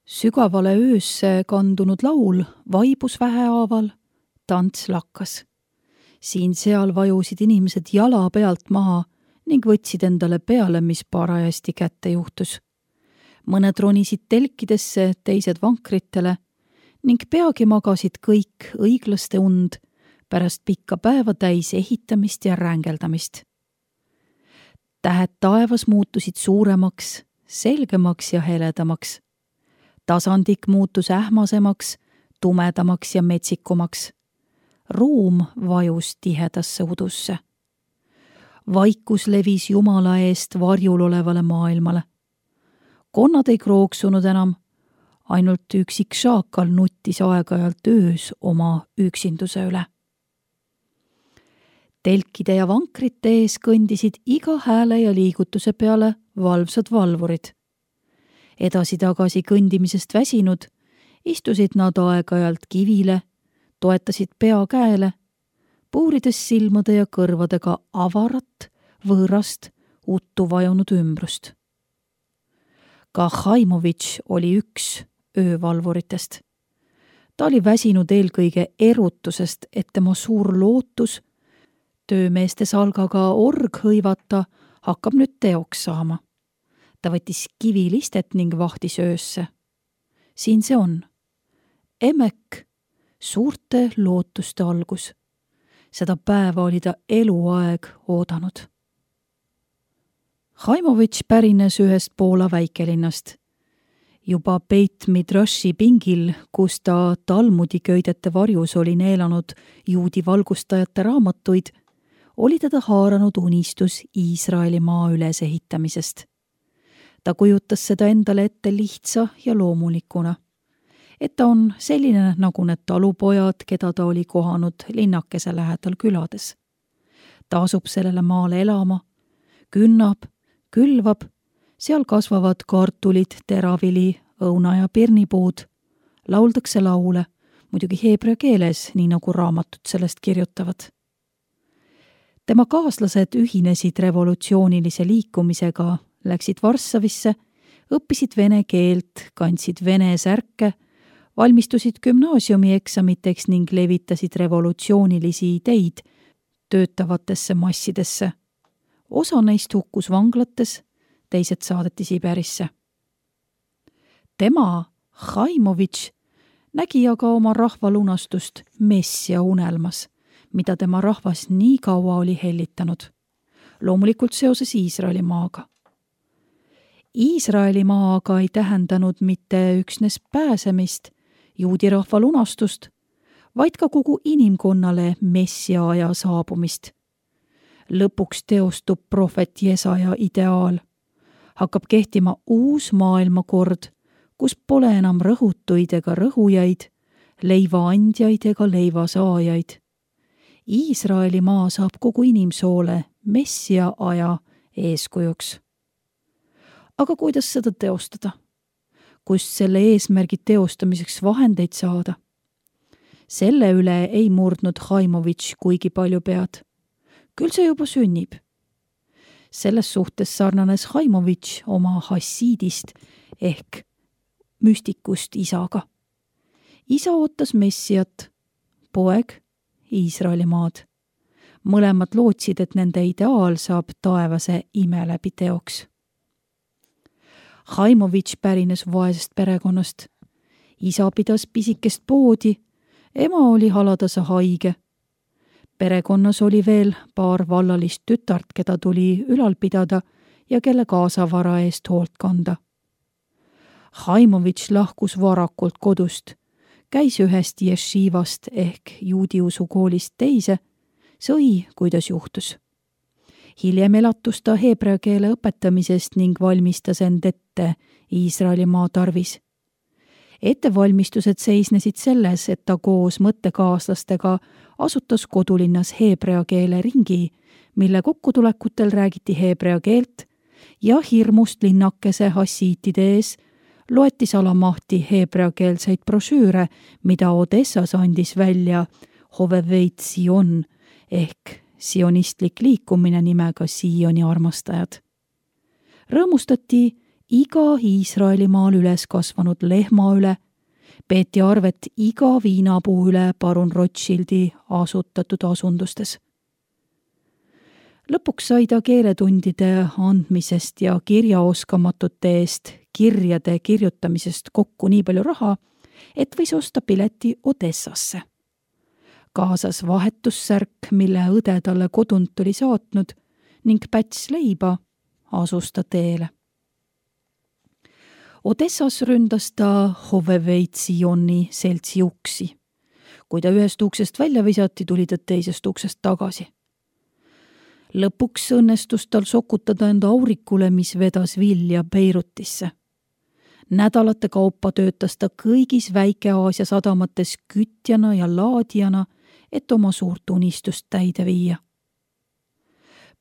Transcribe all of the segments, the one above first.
Sügavale öösse kandunud laul vaibus vähehaaval, tants lakkas. Siin-seal vajusid inimesed jala pealt maha ning võtsid endale peale, mis parajasti kätte juhtus. Mõned ronisid telkidesse, teised vankritele ning peagi magasid kõik õiglaste und pärast pikka päeva täis ehitamist ja rängeldamist. Tähed taevas muutusid suuremaks, selgemaks ja heledamaks. Tasandik muutus ähmasemaks, tumedamaks ja metsikumaks. Ruum vajus tihedasse udusse. Vaikus levis Jumala eest varjul olevale maailmale. Konnad ei krooksunud enam, ainult üksik šaakal nuttis aeg-ajalt öös oma üksinduse üle. Telkide ja vankrite ees kõndisid iga hääle ja liigutuse peale valvsad valvurid. Edasi-tagasi kõndimisest väsinud, istusid nad aeg-ajalt kivile, toetasid pea käele, puurides silmade ja kõrvadega avarat, võõrast, uttu vajunud ümbrust. Ka Haimovitš oli üks öövalvuritest. Ta oli väsinud eelkõige erutusest, et tema suur lootus töömeeste salgaga org hõivata hakkab nüüd teoks saama. Ta võttis kivilistet ning vahtis öösse. Siin see on. Emek, suurte lootuste algus. Seda päeva oli ta eluaeg oodanud. Haimovitš pärines ühest Poola väikelinnast. Juba Beit Midrashi pingil, kus ta Talmudi köidete varjus oli neelanud juudi valgustajate raamatuid, oli teda haaranud unistus Iisraeli maa ülesehitamisest. Ta kujutas seda endale ette lihtsa ja loomulikuna, et ta on selline nagu need talupojad, keda ta oli kohanud linnakese lähedal külades. Ta asub sellele maale elama, künnab, külvab, seal kasvavad kartulid, teravili, õuna ja pirnipuud, lauldakse laule, muidugi heebrea keeles, nii nagu raamatud sellest kirjutavad. Tema kaaslased ühinesid revolutsioonilise liikumisega, läksid Varssavisse, õppisid vene keelt, kandsid vene särke, valmistusid gümnaasiumi eksamiteks ning levitasid revolutsioonilisi ideid töötavatesse massidesse. Osa neist hukkus vanglates, teised saadeti Siberisse. Tema, Haimovitš, nägi aga oma rahva lunastust messia unelmas, mida tema rahvas nii kaua oli hellitanud. Loomulikult seoses Iisraeli maaga. Iisraeli maa aga ei tähendanud mitte üksnes pääsemist, juudi rahva lunastust, vaid ka kogu inimkonnale messia aja saabumist. Lõpuks teostub prohvet Jesaja ideaal. Hakkab kehtima uus maailmakord, kus pole enam rõhutuid ega rõhujaid, leivaandjaid ega leivasaajaid. Iisraeli maa saab kogu inimsoole messia aja eeskujuks. Aga kuidas seda teostada? Kust selle eesmärgi teostamiseks vahendeid saada? Selle üle ei murdnud Haimovitš kuigi palju pead. Küll see juba sünnib. Selles suhtes sarnanes Haimovitš oma hassiidist ehk müstikust isaga. Isa ootas messiat, poeg Iisraeli maad. Mõlemad lootsid, et nende ideaal saab taevase ime läbi teoks. Haimovitš pärines vaesest perekonnast. Isa pidas pisikest poodi, ema oli haladase haige. Perekonnas oli veel paar vallalist tütart, keda tuli ülal pidada ja kelle kaasavara eest hoolt kanda. Haimovitš lahkus varakult kodust, käis ühest ješivast ehk juudiusu koolist teise, sõi, kuidas juhtus. Hiljem elatus ta heebrea keele õpetamisest ning valmistas end ette Iisraeli maa tarvis. Ettevalmistused seisnesid selles, et ta koos mõttekaaslastega asutas kodulinnas heebrea keele ringi, mille kokkutulekutel räägiti heebrea keelt ja hirmust linnakese hassiitide ees loeti salamahti heebrea keelseid brošüüre, mida Odessas andis välja Hoveveit Sion ehk sionistlik liikumine nimega Sioni armastajad. Rõõmustati iga Iisraelimaal üles kasvanud lehma üle, peeti arvet iga viinapuu üle parun Rothschildi asutatud asundustes. Lõpuks sai ta keeletundide andmisest ja kirjaoskamatute eest kirjade kirjutamisest kokku nii palju raha, et võis osta pileti Odessasse. Kaasas vahetussärk, mille õde talle kodunt oli saatnud, ning päts leiba, asus ta teele. Odessas ründas ta Hoveveitsi seltsi uksi. Kui ta ühest uksest välja visati, tuli ta teisest uksest tagasi. Lõpuks õnnestus tal sokutada enda aurikule, mis vedas vilja Beirutisse. Nädalate kaupa töötas ta kõigis Väike-Aasia sadamates kütjana ja laadijana, et oma suurt unistust täide viia.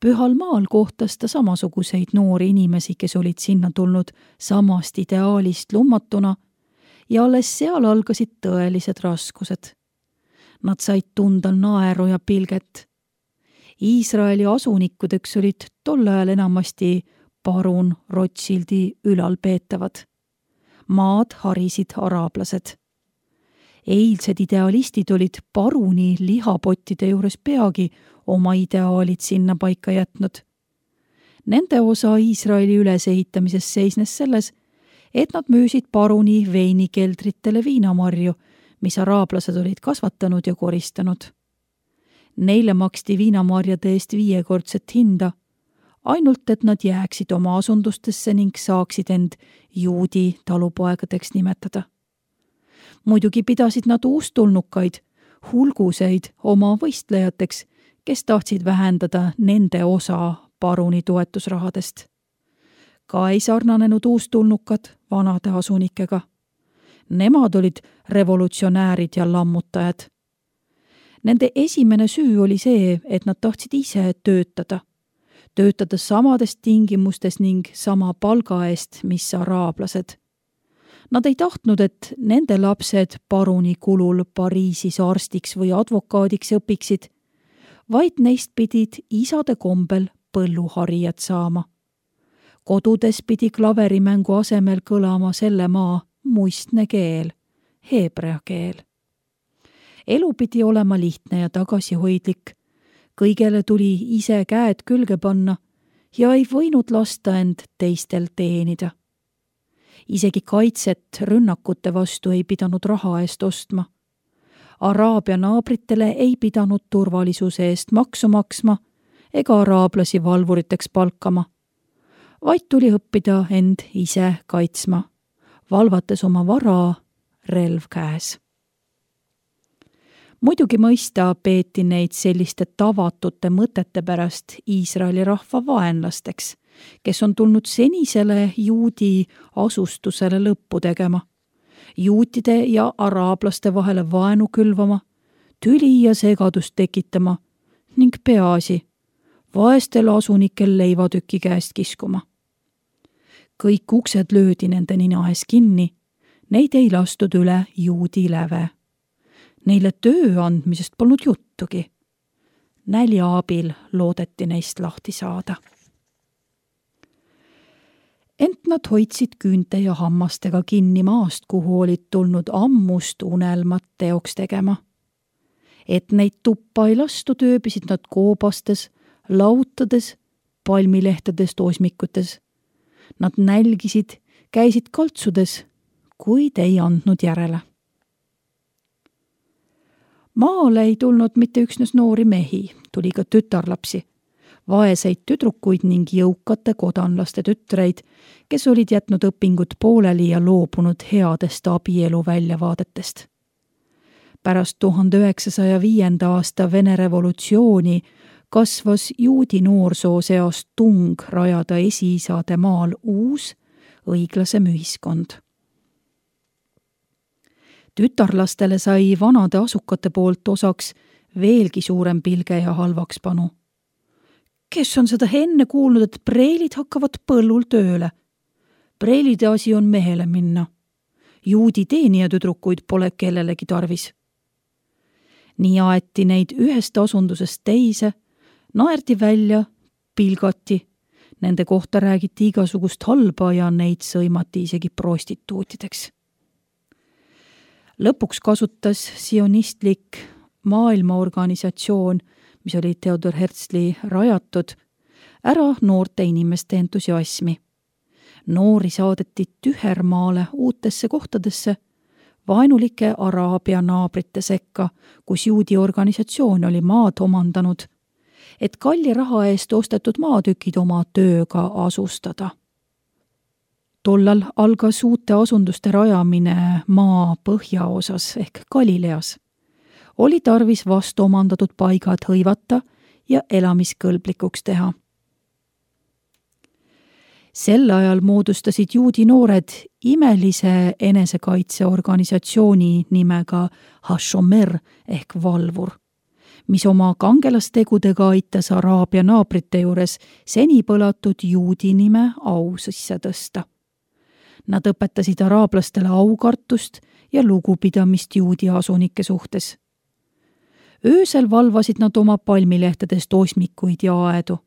Pühal maal kohtas ta samasuguseid noori inimesi, kes olid sinna tulnud samast ideaalist lummatuna, ja alles seal algasid tõelised raskused. Nad said tunda naeru ja pilget. Iisraeli asunikudeks olid tol ajal enamasti parun Rothschildi ülalpeetavad. Maad harisid araablased. Eilsed idealistid olid paruni lihapottide juures peagi oma ideaalid sinna paika jätnud. Nende osa Iisraeli ülesehitamises seisnes selles, et nad müüsid paruni veinikeldritele viinamarju, mis araablased olid kasvatanud ja koristanud. Neile maksti viinamarjade eest 5-kordset hinda, ainult et nad jääksid oma asundustesse ning saaksid end juudi talupoegadeks nimetada. Muidugi pidasid nad uustulnukaid, hulguseid oma võistlejateks, kes tahtsid vähendada nende osa paruni toetusrahadest. Ka ei sarnanenud uustulnukad vanade asunikega. Nemad olid revolutsionäärid ja lammutajad. Nende esimene süü oli see, et nad tahtsid ise töötada samades tingimustes ning sama palga eest, mis araablased. Nad ei tahtnud, et nende lapsed paruni kulul Pariisis arstiks või advokaadiks õpiksid, vaid neist pidid isade kombel põlluharijad saama. Kodudes pidi klaverimängu asemel kõlama selle maa muistne keel, heebrea keel. Elu pidi olema lihtne ja tagasihoidlik. Kõigele tuli ise käed külge panna ja ei võinud lasta end teistel teenida. Isegi kaitset rünnakute vastu ei pidanud raha eest ostma. Araabia naabritele ei pidanud turvalisuse eest maksu maksma ega araablasi valvuriteks palkama, vaid tuli õppida end ise kaitsma, valvates oma vara relv käes. Muidugi mõista peeti neid selliste tavatute mõtete pärast Iisraeli rahva vaenlasteks, kes on tulnud senisele juudi asustusele lõppu tegema, juutide ja araablaste vahele vaenu külvama, tüli ja segadust tekitama ning peaasi, vaestel asunikel leivatüki käest kiskuma. Kõik uksed löödi nende nina ees kinni, neid ei lastud üle juudi läve. Neile töö andmisest polnud juttugi. Nälja abil loodeti neist lahti saada. Ent nad hoidsid küünte ja hammastega kinni maast, kuhu olid tulnud ammust unelmat teoks tegema. Et neid tuppa ei lastud, ööbisid nad koobastes, lautades, palmilehtedest osmikutes. Nad nälgisid, käisid kaltsudes, kuid ei andnud järele. Maale ei tulnud mitte üksnes noori mehi, tuli ka tütarlapsi, vaeseid tüdrukuid ning jõukate kodanlaste tütreid, kes olid jätnud õpingud pooleli ja loobunud headest abielu väljavaadetest. Pärast 1905. aasta Vene revolutsiooni kasvas juudi noorsoo seas tung rajada esiisade maal uus, õiglasem ühiskond. Tütarlastele sai vanade asukate poolt osaks veelgi suurem pilge ja halvakspanu. Kes on seda enne kuulnud, et preilid hakkavad põllul tööle? Preilide asi on mehele minna. Juudi teenijatüdrukuid pole kellelegi tarvis. Nii aeti neid ühest asundusest teise, naerdi välja, pilgati Nende kohta räägiti igasugust halba ja neid sõimati isegi prostituutideks. Lõpuks kasutas sionistlik maailmaorganisatsioon, mis oli Theodor Herzli rajatud, ära noorte inimeste entusiasmi. Noori saadeti tühermaale uutesse kohtadesse, vaenulike Araabia naabrite sekka, kus juudi organisatsioon oli maad omandanud, et kalli raha eest ostetud maatükid oma tööga asustada. Tollal algas uute asunduste rajamine maa põhjaosas ehk Galileas. Oli tarvis vastu omandatud paigad hõivata ja elamiskõlblikuks teha. Sel ajal moodustasid juudi noored imelise enesekaitseorganisatsiooni nimega Hashomer ehk valvur, mis oma kangelastegudega aitas Araabia naabrite juures seni põlatud juudi nime au sisse tõsta. Nad õpetasid araablastele aukartust ja lugupidamist juudi asunike suhtes. Öösel valvasid nad oma palmilehtedest osmikuid ja aedu.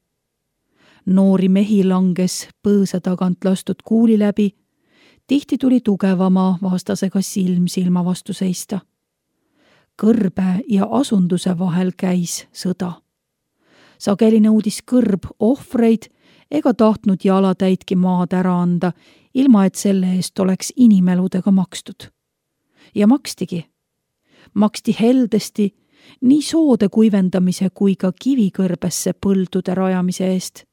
Noori mehi langes põõsa tagant lastud kuuli läbi, tihti tuli tugevama vastasega silm silma vastu seista. Kõrbe ja asunduse vahel käis sõda. Sageli nõudis kõrb ohvreid ega tahtnud jalatäitki maad ära anda, ilma et selle eest oleks inimeludega makstud. Ja makstigi. Maksti heldesti nii soode kuivendamise kui ka kivikõrbesse põldude rajamise eest.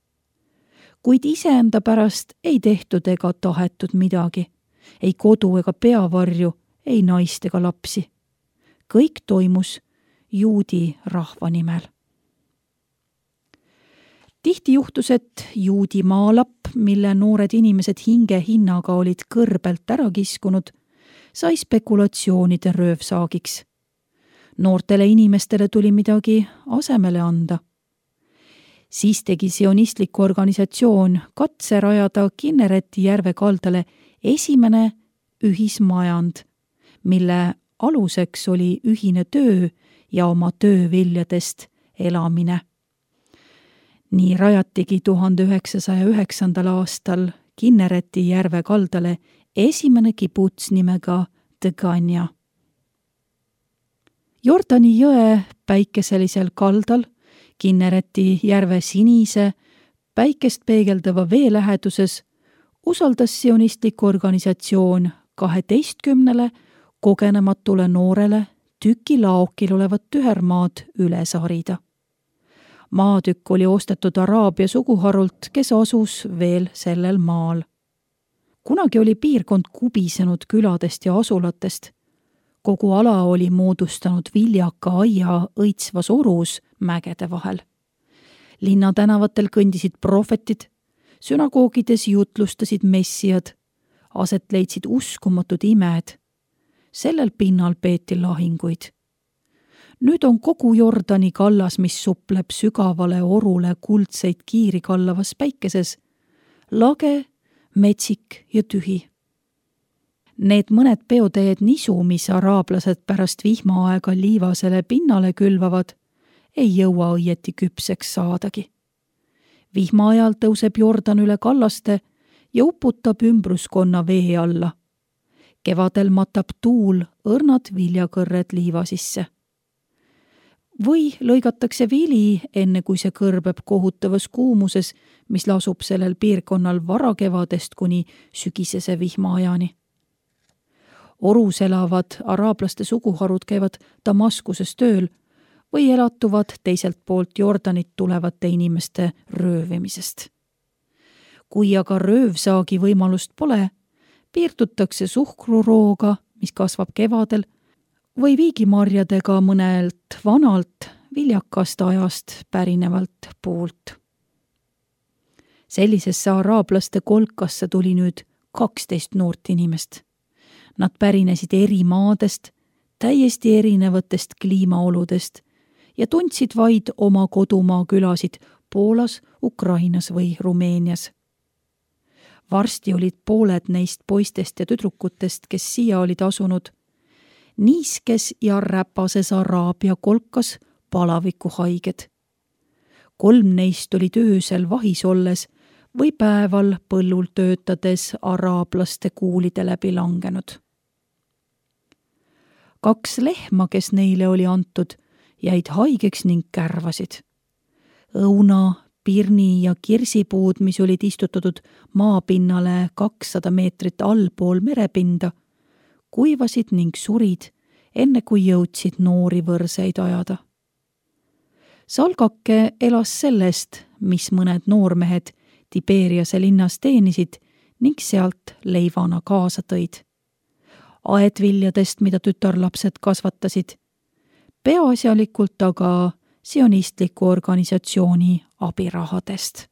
Kuid iseenda pärast ei tehtud ega tahetud midagi, ei kodu ega peavarju, ei naist ega lapsi. Kõik toimus juudi rahva nimel. Tihti juhtus, et juudi maalapp, mille noored inimesed hinge hinnaga olid kõrbelt ära kiskunud, sai spekulatsioonide röövsaagiks. Noortele inimestele tuli midagi asemele anda. Siis tegi sionistlik organisatsioon katse rajada Kinnereti järve kaldale esimene ühismajand, mille aluseks oli ühine töö ja oma tööviljadest elamine. Nii rajatigi 1909. aastal Kinnereti järve kaldale esimene kibuts nimega Degania. Jordani jõe päikeselisel kaldal, Kinnereti järve sinise, päikest peegeldava vee läheduses usaldas sionistlik organisatsioon 12 kogenematule noorele tüki laokil olevat tühermaad üles harida. Maatükk oli ostetud Araabia suguharult, kes asus veel sellel maal. Kunagi oli piirkond kubisenud küladest ja asulatest. Kogu ala oli moodustanud viljaka aia õitsvas orus mägede vahel. Linna tänavatel kõndisid prohvetid, sünagoogides jutlustasid messiad, aset leidsid uskumatud imed. Sellel pinnal peeti lahinguid. Nüüd on kogu Jordani kallas, mis supleb sügavale orule kuldseid kiiri kallavas päikeses, lage, metsik ja tühi. Need mõned peoteed nisu, mis araablased pärast vihmaaega liivasele pinnale külvavad, ei jõua õieti küpseks saadagi. Vihma ajal tõuseb Jordan üle kallaste ja uputab ümbruskonna vee alla. Kevadel matab tuul õrnad viljakõrred liiva sisse. Või lõigatakse vili, enne kui see kõrbeb kohutavas kuumuses, mis lasub sellel piirkonnal varakevadest kuni sügisese vihmaajani. Orus elavad araablaste suguharud käivad Damaskuses tööl või elatuvad teiselt poolt Jordanit tulevate inimeste röövimisest. Kui aga röövsaagi võimalust pole, piirdutakse suhkrurooga, mis kasvab kevadel, või viigimarjadega mõnelt vanalt viljakast ajast pärinevalt puult. Sellisesse araablaste kolkasse tuli nüüd 12 noort inimest. Nad pärinesid eri maadest, täiesti erinevatest kliimaoludest ja tundsid vaid oma kodumaa külasid Poolas, Ukrainas või Rumeenias. Varsti olid pooled neist poistest ja tüdrukutest, kes siia olid asunud, niiskes ja räpases Araabia kolkas palavikuhaiged. 3 neist olid öösel vahis olles või päeval põllul töötades araablaste kuulide läbi langenud. 2 lehma, kes neile oli antud, jäid haigeks ning kärvasid. Õuna, pirni ja kirsipuud, mis olid istutatud maapinnale 200 meetrit allpool merepinda, kuivasid ning surid, enne kui jõudsid noori võrseid ajada. Salgake elas sellest, mis mõned noormehed Tiberiase linnas teenisid ning sealt leivana kaasa tõid. Aedviljadest, mida tütarlapsed kasvatasid, peaasjalikult aga sionistliku organisatsiooni abirahadest.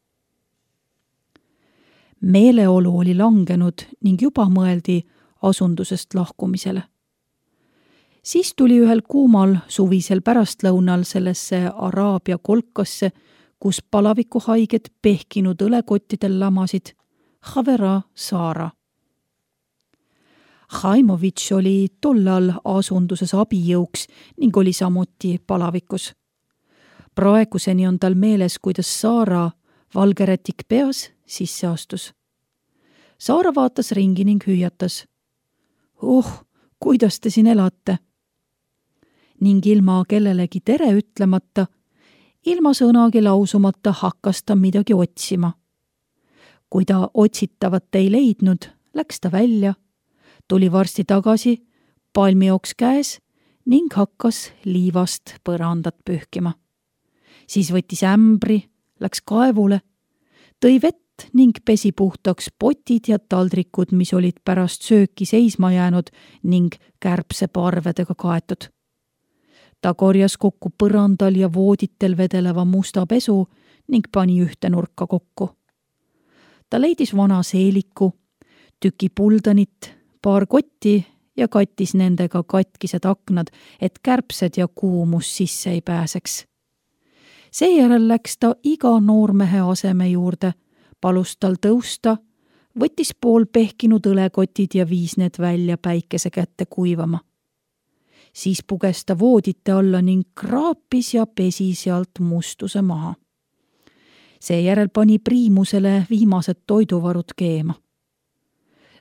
Meeleolu oli langenud ning juba mõeldi asundusest lahkumisele. Siis tuli ühel kuumal suvisel pärastlõunal sellesse Araabia kolkasse, kus palavikuhaiged pehkinud õlekottidel lamasid, Havera Saara. Haimovitš oli tollal asunduses abijõuks ning oli samuti palavikus. Praeguseni on tal meeles, kuidas Saara, valgerätik peas, sisse astus. Saara vaatas ringi ning hüüatas. Kuidas te siin elate? Ning ilma kellelegi tere ütlemata, ilma sõnagi lausumata hakkas ta midagi otsima. Kui ta otsitavat ei leidnud, läks ta välja, tuli varsti tagasi, palmioks käes ning hakkas liivast põrandat pühkima. Siis võttis ämbri, läks kaevule, tõi vett ning pesi puhtaks potid ja taldrikud, mis olid pärast sööki seisma jäänud ning kärbseparvedega kaetud. Ta korjas kokku põrandal ja vooditel vedeleva musta pesu ning pani ühte nurka kokku. Ta leidis vana seeliku, tüki puldanit, paar kotti ja kattis nendega katkised aknad, et kärbsed ja kuumus sisse ei pääseks. Seejärel läks ta iga noormehe aseme juurde, palus tal tõusta, võttis pool pehkinud õlekotid ja viis need välja päikese kätte kuivama. Siis puges ta voodite alla ning kraapis ja pesi sealt mustuse maha. Seejärel pani priimusele viimased toiduvarud keema.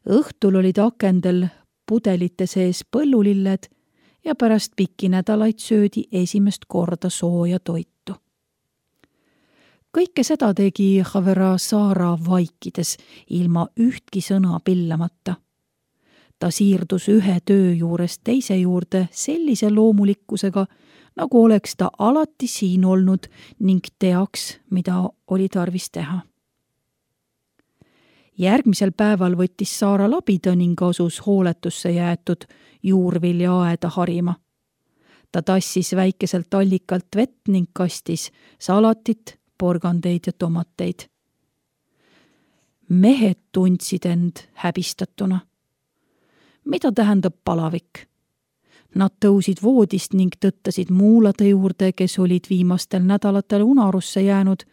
Õhtul olid akendel pudelite sees põllulilled ja pärast pikki nädalaid söödi esimest korda sooja toitu. Kõike seda tegi Havera Saara vaikides, ilma ühtki sõna pillamata. Ta siirdus ühe töö juurest teise juurde sellise loomulikkusega, nagu oleks ta alati siin olnud ning teaks, mida oli tarvis teha. Järgmisel päeval võttis Saara labida ning asus hooletusse jäetud juurviljaaeda harima. Ta tassis väikeselt allikalt vett ning kastis salatit, porgandeid ja tomateid. Mehed tundsid end häbistatuna. Mida tähendab palavik? Nad tõusid voodist ning tõttasid muulade juurde, kes olid viimastel nädalatel unarusse jäänud,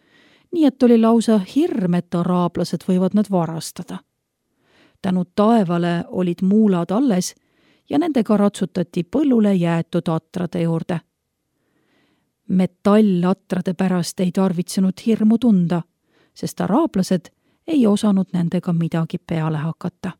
nii et oli lausa hirm, et araablased võivad nad varastada. Tänu taevale olid muulad alles ja nendega ratsutati põllule jäetud atrade juurde. Metallatrade pärast ei tarvitsenud hirmu tunda, sest araablased ei osanud nendega midagi peale hakata.